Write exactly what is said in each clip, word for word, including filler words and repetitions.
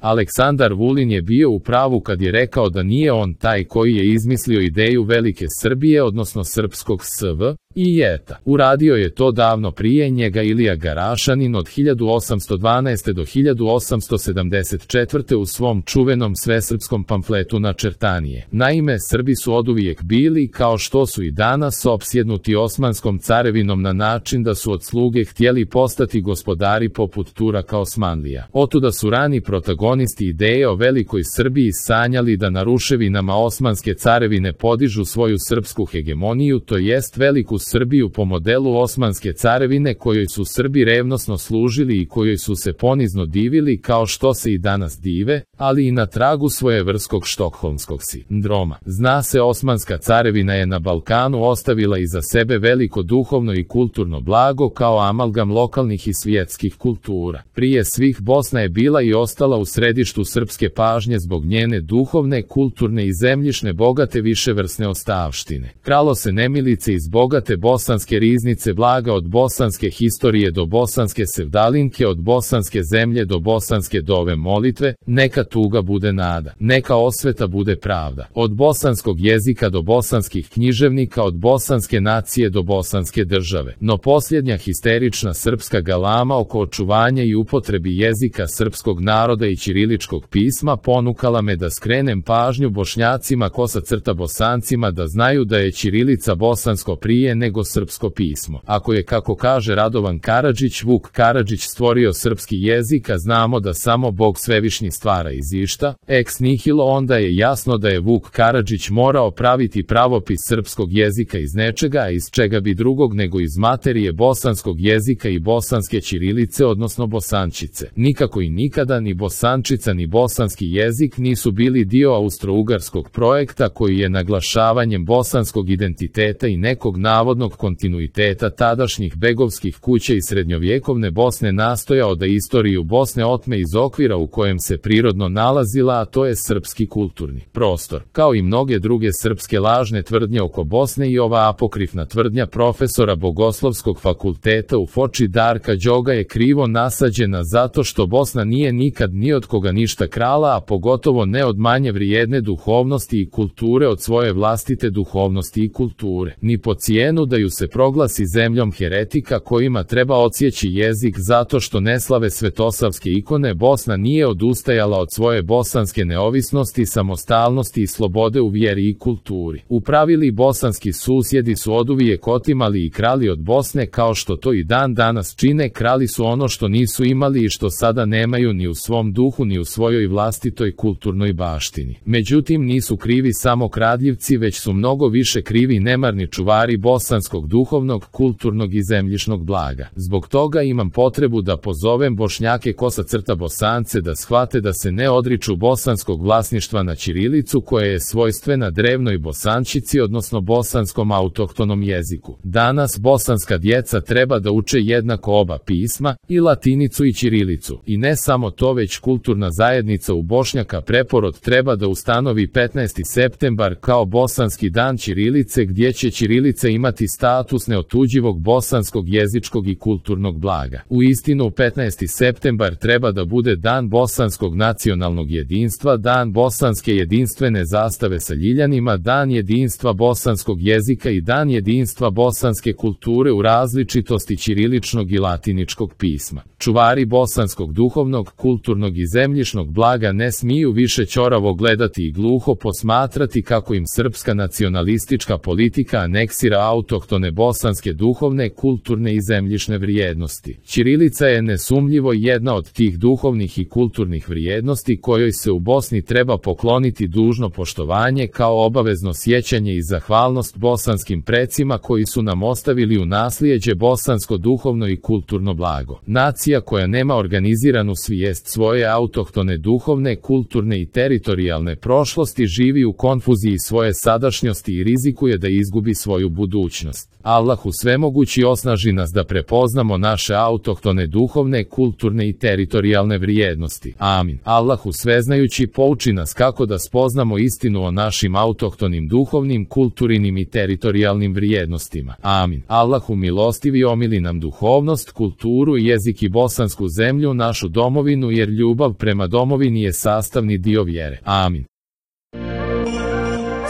Aleksandar Vulin je bio u pravu kad je rekao da nije on taj koji je izmislio ideju velike Srbije, odnosno srpskog S V I J-a. Uradio je to davno prije njega Ilija Garašanin od hiljadu osamsto dvanaeste. do hiljadu osamsto sedamdeset četvrte. u svom čuvenom svesrpskom pamfletu Načrtanije. Naime, Srbi su oduvijek bili, kao što su i danas, opsjednuti Osmanskom carevinom na način da su od sluge htjeli postati gospodari poput Turaka Osmanlija. Otuda su rani protagonisti ideje o velikoj Srbiji sanjali da na ruševinama Osmanske carevine podižu svoju srpsku hegemoniju, to jest veliku Srbiju po modelu Osmanske carevine kojoj su Srbi revnosno služili i kojoj su se ponizno divili kao što se i danas dive, ali i na tragu svojevrstkog štokholmskog sindroma. Zna se, Osmanska carevina je na Balkanu ostavila iza sebe veliko duhovno i kulturno blago kao amalgam lokalnih i svjetskih kultura. Prije svih Bosna je bila i ostala u središtu srpske pažnje zbog njene duhovne, kulturne i zemljišne bogate viševrsne ostavštine. Kralo se nemilice iz bogate bosanske riznice blaga, od bosanske historije do bosanske sevdalinke, od bosanske zemlje do bosanske dove molitve, neka tuga bude nada, neka osveta bude pravda. Od bosanskog jezika do bosanskih književnika, od bosanske nacije do bosanske države. No posljednja histerična srpska galama oko očuvanja i upotrebi jezika srpskog naroda i ćiriličkog pisma ponukala me da skrenem pažnju Bošnjacima kosa crta Bosancima da znaju da je ćirilica bosansko prije nego srpsko pismo. Ako je, kako kaže Radovan Karadžić, Vuk Karadžić stvorio srpski jezik, a znamo da samo Bog svevišnji stvara iz išta, ex nihilo, onda je jasno da je Vuk Karadžić morao praviti pravopis srpskog jezika iz nečega, a iz čega bi drugog nego iz materije bosanskog jezika i bosanske ćirilice, odnosno bosančice. Nikako i nikada ni bosančica ni bosanski jezik nisu bili dio austro-ugarskog projekta koji je naglašavanjem bosanskog identiteta i nekog navodnog kontinuiteta tadašnjih begovskih kuća i srednjovjekovne Bosne nastojao da istoriju Bosne otme iz okvira u kojem se prirodno nalazila, a to je srpski kulturni prostor. Kao i mnoge druge srpske lažne tvrdnje oko Bosne, i ova apokrifna tvrdnja profesora Bogoslovskog fakulteta u Foči Darka Đoga je krivo nasađena zato što Bosna nije nikad ni od koga ništa krala, a pogotovo ne od manje vrijedne duhovnosti i kulture od svoje vlastite duhovnosti i kulture. Ni po cijenu da ju se proglasi zemljom heretika kojima treba odsjeći jezik zato što ne slave svetosavske ikone, Bosna nije odustajala od svoje bosanske neovisnosti, samostalnosti i slobode u vjeri i kulturi. Upravili bosanski susjedi su oduvijek otimali i krali od Bosne, kao što to i dan danas čine. Krali su ono što nisu imali i što sada nemaju ni u svom duhu ni u svojoj vlastitoj kulturnoj baštini. Međutim, nisu krivi samo kradljivci, već su mnogo više krivi nemarni čuvari bosanskog duhovnog, kulturnog i zemljišnog blaga. Zbog toga imam potrebu da pozovem Bošnjake kosa crta Bosance da shvate da se ne odriču bosanskog vlasništva na ćirilicu koja je svojstvena drevnoj bosančici, odnosno bosanskom autohtonom jeziku. Danas bosanska djeca treba da uče jednako oba pisma, i latinicu i ćirilicu. I ne samo to, već kulturna zajednica u Bošnjaka Preporod treba da ustanovi petnaesti septembar kao bosanski dan ćirilice, gdje će ćirilica imati status neotuđivog bosanskog jezičkog i kulturnog blaga. U istinu, petnaesti septembar treba da bude dan bosanskog nacionalnog jedinstva, dan bosanske jedinstvene zastave sa ljiljanima, dan jedinstva bosanskog jezika i dan jedinstva bosanske kulture u različitosti ćiriličnog i latiničkog pisma. Čuvari bosanskog duhovnog, kulturnog i zemljišnog blaga ne smiju više ćoravo gledati i gluho posmatrati kako im srpska nacionalistička politika aneksira autohtone bosanske duhovne, kulturne i zemljišne vrijednosti. Ćirilica je nesumnjivo jedna od tih duhovnih i kulturnih vrijednosti kojoj se u Bosni treba pokloniti dužno poštovanje kao obavezno sjećanje i zahvalnost bosanskim precima koji su nam ostavili u naslijeđe bosansko duhovno i kulturno blago. Nacija koja nema organiziranu svijest svoje autohtone duhovne, kulturne i teritorijalne prošlosti živi u konfuziji svoje sadašnjosti i rizikuje da izgubi svoju budućnost. budućnost. Allahu svemogući osnaži nas da prepoznamo naše autohtone duhovne, kulturne i teritorijalne vrijednosti. Amin. Allahu sveznajući pouči nas kako da spoznamo istinu o našim autohtonim duhovnim, kulturnim i teritorijalnim vrijednostima. Amin. Allahu milostivi omili nam duhovnost, kulturu i jezik i bosansku zemlju, našu domovinu, jer ljubav prema domovini je sastavni dio vjere. Amin.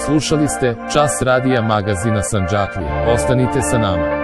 Slušali ste Čas radija magazina Sandžaklije. Ostanite sa nama.